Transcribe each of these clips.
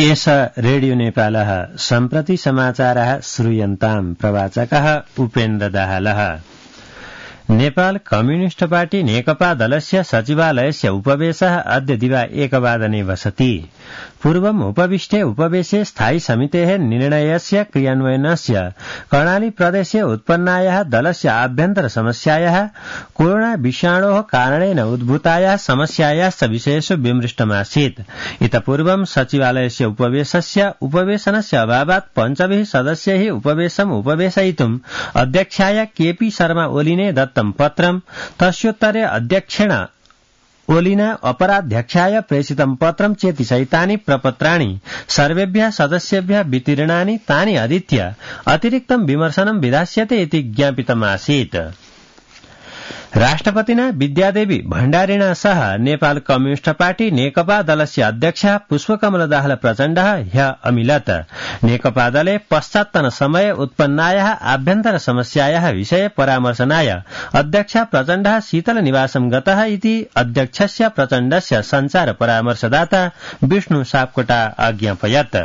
एष रेडियो नेपालः सम्प्रति समाचारः श्रूयन्ताम् प्रवाचकः उपेन्द्र दाहालः। नेपाल कम्युनिस्ट पार्टी नेकपा दलस्य सचिवालयस्य उपवेशः अद्य दिवा 1:00 वसति। पूर्वम् उपविष्टे उपवेशे स्थायी समितेः निर्णयस्य क्रियान्वयनस्य कर्णाली प्रदेशे उत्पन्नायाः दलस्य आभ्यन्तर समस्यायाः कोरोना विषाणोः कारणेन उद्भूतायाः समस्यायाश्च विषयेषु विमृष्टमासीत्। इत पूर्वं सचिवालयस्य उपवेशनस्य अभावात् पञ्चभिः सदस्यैः उपवेशम् उपवेशयितुम् अध्यक्षाय केपी शर्मा ओलीने दत्तं पत्रम् तस्योत्तरे अध्यक्षेण ओलिना अपराध्यक्षाय प्रेषितं पत्रं चेति सहितानि प्रपत्राणि सर्वेभ्यः सदस्येभ्यः वितीर्णानि तानि अधीत्य अतिरिक्तं विमर्शनं विधास्यते इति ज्ञापितमासीत्। राष्ट्रपतिना विद्यादेवी भण्डारिणा सह नेपाल कम्युनिस्ट पार्टी नेकपा दलस्य अध्यक्षः पुष्पकमल दाहाल प्रचण्डः ह्यः अमिलत्। नेकपा दले पश्चात्तन समये उत्पन्नायाः आभ्यन्तर समस्यायाः विषये परामर्शनाय अध्यक्ष प्रचण्डः शीतल निवासं गतः इति अध्यक्षस्य प्रचण्डस्य सञ्चार परामर्शदाता विष्णु सापकोटा अज्ञापयत्।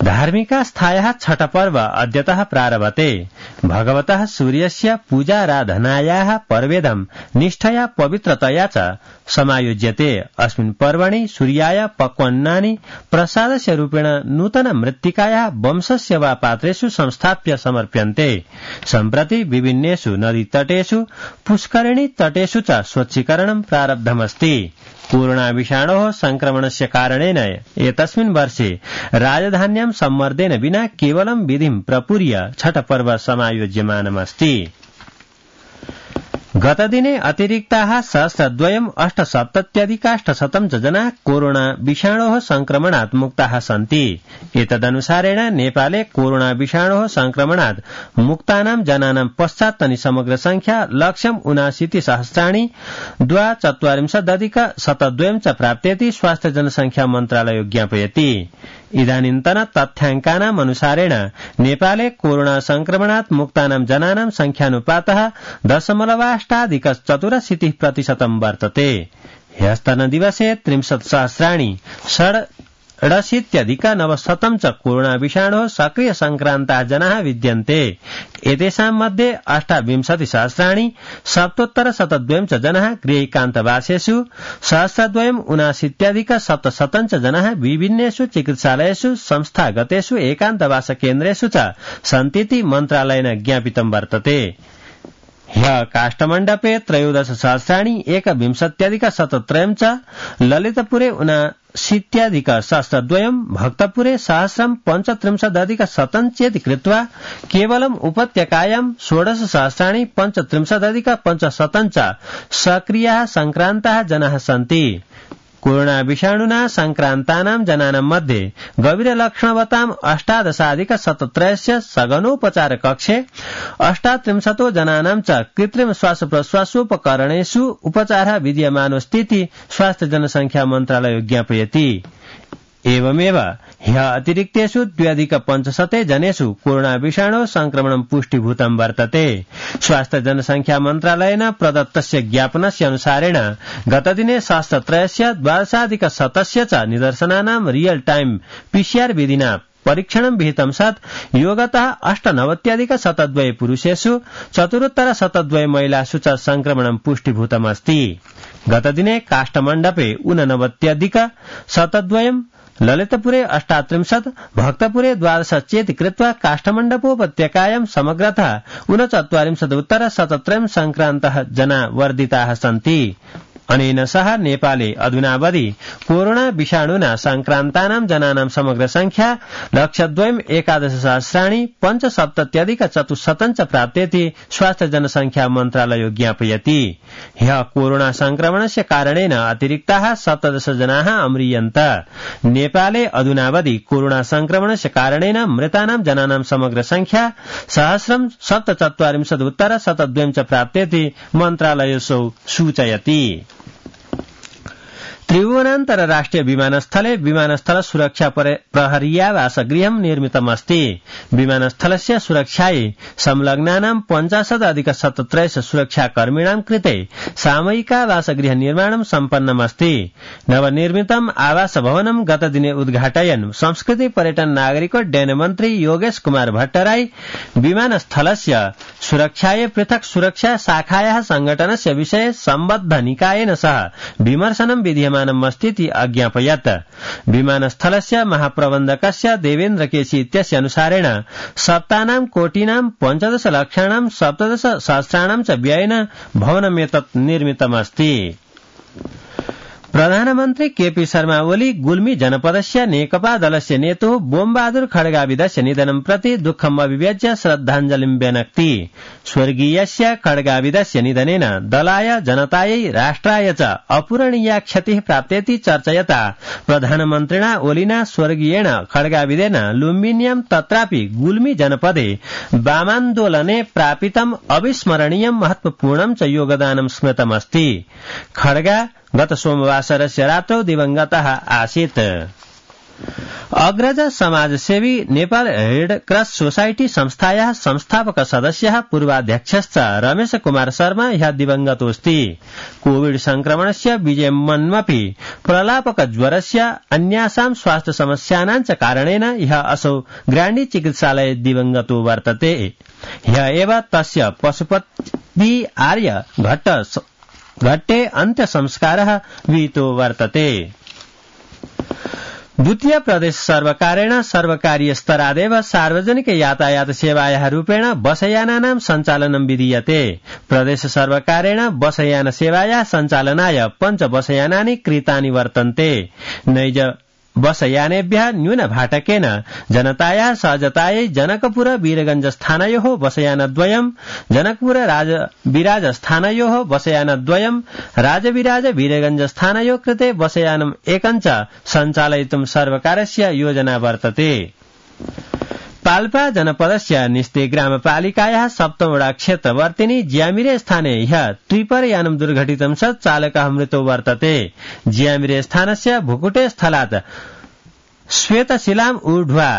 धार्मिकास्थायाः छठ पर्व अद्यतः प्रारभते। भगवतः सूर्यस्य पूजाराधनायाः पर्वेदं निष्ठया पवित्रतया च समायोज्यते। अस्मिन् पर्वणि सूर्याय पक्वान्नानि प्रसादस्य रूपेण नूतन मृत्तिकायाः वंशस्य वा पात्रेषु संस्थाप्य समर्प्यन्ते। सम्प्रति विभिन्नेषु नदीतटेषु पुष्करिणी तटेषु च स्वच्छीकरणं प्रारब्धमस्ति। कोरोना विषाणोः संक्रमणस्य कारणेन एतस्मिन् वर्षे राजधान्यां सम्मर्देन विना केवलं विधिं प्रपूर्य छठ पर्व समायोज्यमानमस्ति। गतदिने अतिरिक्ताः 1,287,800 जनाः कोरोना विषाणोः संक्रमणात् मुक्ताः सन्ति। एतदनुसारेण नेपाले कोरोना विषाणोः संक्रमणात् मुक्तानां जनानां पश्चात्तनी समग्र संख्या 1,79,242 च प्राप्तेति स्वास्थ्य जनसंख्या मन्त्रालयो ज्ञापयति। इदानीन्तन तथ्याङ्कानाम् अनुसारेण नेपाले कोरोना संक्रमणात् मुक्तानां जनानां संख्यानुपातः 0.8% वर्तते। ह्यस्तनदिवसे 30,000,000 च कोरोना विषाणोः सक्रिय संक्रान्ताः जनाः विद्यन्ते। एतेषां मध्ये 28,000,772 च जनाः गृहैकान्तवासेषु 1,279,700 च जनाः विभिन्नेषु चिकित्सालयेषु संस्थागतेषु एकान्तवास केन्द्रेषु च सन्तीति मन्त्रालयेन ज्ञापितं वर्तते। ह्यः काष्ठमण्डपे 13,000,120,103 च, ललितपुरे 79,000,200, भक्तपुरे 1,035,100 चेति कृत्वा केवलम् उपत्यकायां 16,035,500 च सक्रियाः संक्रान्ताः जनाः सन्ति। कोरोना विषाणुना संक्रान्तानां जनानां मध्ये गभीरलक्षणवतां 18,017 सघनोपचार कक्षे 38 जनानां च कृत्रिम श्वासप्रश्वासोपकरणेषु उपचारः विद्यमानोऽस्तीति स्वास्थ्य जनसंख्या मन्त्रालयो ज्ञापयति। एवमेव ह्यः अतिरिक्तेषु 2,500 जनेषु कोरोना विषाणो संक्रमणं पुष्टिभूतं वर्तते। स्वास्थ्य जनसंख्या मन्त्रालयेन प्रदत्तस्य ज्ञापनस्य अनुसारेण गतदिने शास्त्रत्रयस्य 12,100 च निदर्शनानां रियल टाइम PCR विधिना परीक्षणं विहितं सत् योगतः 98,102 पुरुषेषु 74,102 महिलासु च संक्रमणं पुष्टिभूतमस्ति। गतदिने काष्ठमण्डपे 89,102, ललितपुरे 38, भक्तपुरे 12 चेति कृत्वा काष्ठमण्डपोपत्यकायां समग्रतः 39,उत्तर-17 संक्रान्तः जना वर्धिताः सन्ति। अनेन सह नेपाले अधुनावधि कोरोना विषाणुना संक्रान्तानां जनानां समग्र संख्या 1,11,075,400 च प्राप्तेति स्वास्थ्य जनसंख्या मन्त्रालयो ज्ञापयति। ह्यः कोरोना संक्रमणस्य कारणेन अतिरिक्ताः 17 जनाः अम्रियन्त। नेपाले अधुनावधि कोरोना संक्रमणस्य कारणेन मृतानां जनानां समग्र संख्या 1,047,उत्तर-72 च प्राप्तेति मन्त्रालयो सूचयति। त्रिभुवन अन्तर्राष्ट्रिय विमानस्थले विमानस्थल सुरक्षा प्रहरीयावासगृहं निर्मितमस्ति। विमानस्थलस्य सुरक्षायै संलग्नानां 50+ सुरक्षाकर्मिणां कृते सामयिकावासगृह निर्माणं सम्पन्नमस्ति। नवनिर्मितम् आवासभवनं गतदिने उद्घाटयन् संस्कृति पर्यटन नागरिकोड्डयन मन्त्री योगेश कुमार भट्टराई विमानस्थलस्य सुरक्षायै पृथक् सुरक्षा शाखायाः संघटनस्य विषये सम्बद्ध निकायेन सह विमर्शनं विधीयमानमस्तीति अज्ञापयत्। विमानस्थलस्य महाप्रबन्धकस्य देवेन्द्र केसी इत्यस्य अनुसारेण सप्तानां कोटीनां 15 लक्षाणां 17 सहस्राणां च व्ययेन भवनमेतत् निर्मितमस्ति। प्रधानमन्त्री केपी शर्मा ओली गुल्मी जनपदस्य नेकपा दलस्य नेतुः बोमबहादुर खड्गाविदस्य निधनं प्रति दुःखम् अभिव्यज्य श्रद्धाञ्जलिं व्यनक्ति। स्वर्गीयस्य खड्गाविदस्य निधनेन दलाय जनतायै राष्ट्राय च अपूरणीया क्षतिः प्राप्तेति चर्चयता प्रधानमन्त्रिणा ओलिना स्वर्गीयेण खड्गाविदेन लुम्बिन्यां तत्रापि गुल्मी जनपदे वामान्दोलने प्रापितम् अविस्मरणीयं महत्वपूर्णं च योगदानं स्मृतमस्ति। खड्गा गत सोमवासरस्य रात्रौ दिवंगतः आसीत्। अग्रज समाजसेवी नेपाल रेड क्रॉस सोसाइटी संस्थायाः संस्थापक सदस्यः पूर्वाध्यक्षश्च रमेश कुमार शर्मा ह्यः दिवंगतोऽस्ति। कोविड संक्रमणस्य विजयमन्वपि प्रलापक ज्वरस्य अन्यासां स्वास्थ्य समस्यानां च कारणेन ह्यः असौ ग्राण्डी चिकित्सालये दिवंगतो वर्तते। ह्यः एव तस्य पशुपति आर्य घट्टे अन्त्य संस्कारः विहितो वर्तते। द्वितीय प्रदेश सर्वकारेण सर्वकारीय स्तरादेव सार्वजनिक यातायात सेवायाः रूपेण बसयानानां सञ्चालनं विधीयते। प्रदेश सर्वकारेण बसयान सेवायाः सञ्चालनाय 5 बसयानानि क्रीतानि वर्तन्ते। नैज बसयानेभ्यः न्यूनभाटकेन जनतायाः सहजतायै जनकपुर वीरगंज स्थानयोः बसयानद्वयम्, जनकपुर राजविराज स्थानयोः बसयानद्वयम्, राजविराज वीरगंज स्थानयोः कृते बसयानम् एकं च सञ्चालयितुं सर्वकारस्य योजना वर्तते। पाल्पा जनपदस्य निस्ते ग्रामपालिकायाः 7 वडा क्षेत्रवर्तिनि ज्यामिरे स्थाने ह्यः ट्रिपर यानं दुर्घटितं सत् चालकः मृतो वर्तते। ज्यामिरे स्थानस्य भुकुटे स्थलात् श्वेतशिलाम् ऊर्ध्वा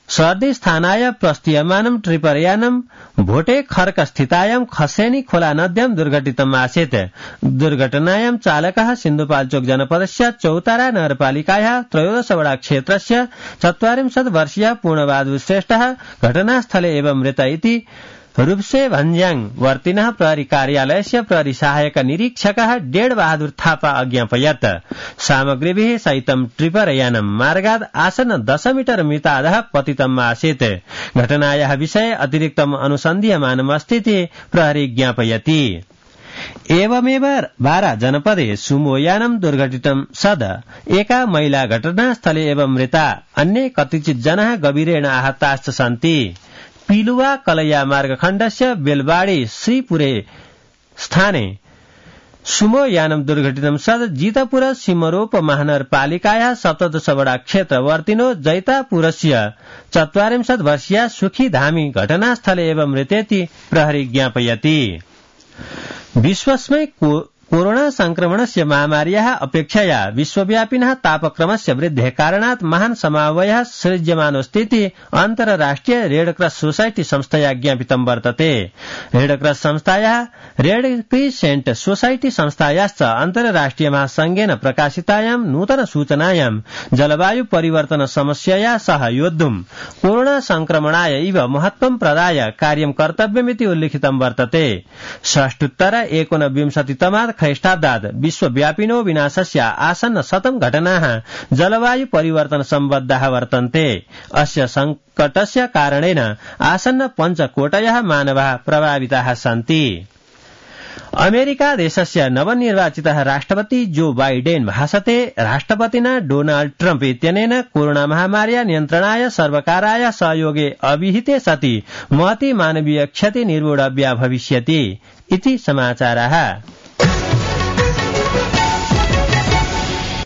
सर्दी स्थानाय प्रस्थीयमानं ट्रिपर यानं भोटे खर्क स्थितायां खसेनी खोला नद्यां दुर्घटितम् आसीत्। दुर्घटनायां चालकः सिन्धुपाल्चोक जनपदस्य चौतारा नगरपालिकायाः 13 वडा क्षेत्रस्य 44 वर्षीयः पूर्णबहादुर श्रेष्ठः घटनास्थले एव मृत इति रूपसे भन्ज्याङ वर्तिनः प्रहरी कार्यालयस्य प्रहरी सहायक निरीक्षकः डेढ बहादुर थापा अज्ञापयत्। सामग्रीभिः सहितं ट्रिपर यानं मार्गाद् आसन्न 10 मीटर मितादः पतितम् आसीत्। घटनायाः विषये अतिरिक्तम् अनुसन्धीयमानमस्तीति प्रहरी ज्ञापयति। एवमेव बारा जनपदे सुमो यानं दुर्घटितं सद एका महिला घटनास्थले एव मृता, अन्ये कतिचित् जनाः गभीरेण आहताश्च सन्ति। पिलुवा कलैया मार्गखण्डस्य बेलबाडी श्रीपुरे स्थाने सुमो यानं दुर्घटितं सद जितपुर सिमरोप महानगरपालिकायाः 17 वडा क्षेत्रवर्तिनो जैतापुरस्य 44 वर्षीया सुखी धामी घटनास्थले एव मृतेति प्रहरी ज्ञापयति। विश्वस्मै कोरोना संक्रमणस्य महामार्याः अपेक्षया विश्वव्यापिनः तापक्रमस्य वृद्धेः कारणात् महान् समावयः सृज्यमानोऽस्तीति अन्तर्राष्ट्रिय रेड क्रॉस सोसाइटी संस्थया ज्ञापितं वर्तते। रेड क्रॉस संस्थायाः रेड क्रिसेंट सोसाइटी संस्थायाश्च अन्तर्राष्ट्रिय महासंघेन प्रकाशितायां नूतन सूचनायां जलवायु परिवर्तन समस्यया सह योद्धुं कोरोना संक्रमणाय इव महत्त्वं प्रदाय कार्यं कर्तव्यमिति उल्लिखितं वर्तते। षष्ठोत्तर 19 ख्रीष्टाब्दात् विश्वव्यापिनो विनाशस्य आसन्न 100 घटनाः जलवायु परिवर्तन सम्बद्धाः वर्तन्ते। अस्य संकटस्य कारणेन आसन्न 5 कोटयः मानवाः प्रभाविताः सन्ति। अमेरिका देशस्य नवनिर्वाचितः राष्ट्रपति जो बाइडेन भाषते राष्ट्रपतिना डोनाल्ड ट्रम्प इत्यनेन कोरोना महामार्या नियन्त्रणाय सर्वकाराय सहयोगे अविहिते सति महती मानवीय क्षति निर्मूढव्या भविष्यति इति समाचाराः।